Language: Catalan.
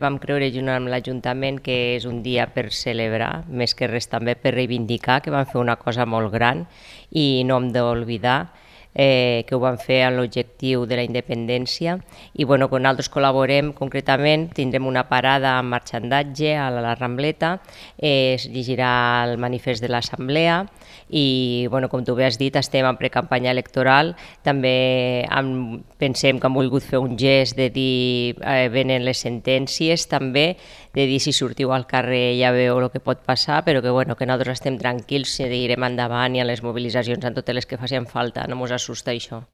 Vam creure junt amb l'Ajuntament que és un dia per celebrar, més que res també per reivindicar que vam fer una cosa molt gran i no hem d'oblidar que ho vam fer amb l'objectiu de la independència i quan nosaltres col·laborem concretament tindrem una parada amb marxandatge a la Rambleta, es llegirà el manifest de l'Assemblea i com tu bé has dit estem en precampanya electoral, també pensem que han volgut fer un gest de dir venen les sentències també, de dir si sortiu al carrer ja veu el que pot passar, però que nosaltres estem tranquils, seguirem endavant i a les mobilitzacions en totes les que facin falta, no ens assusta això.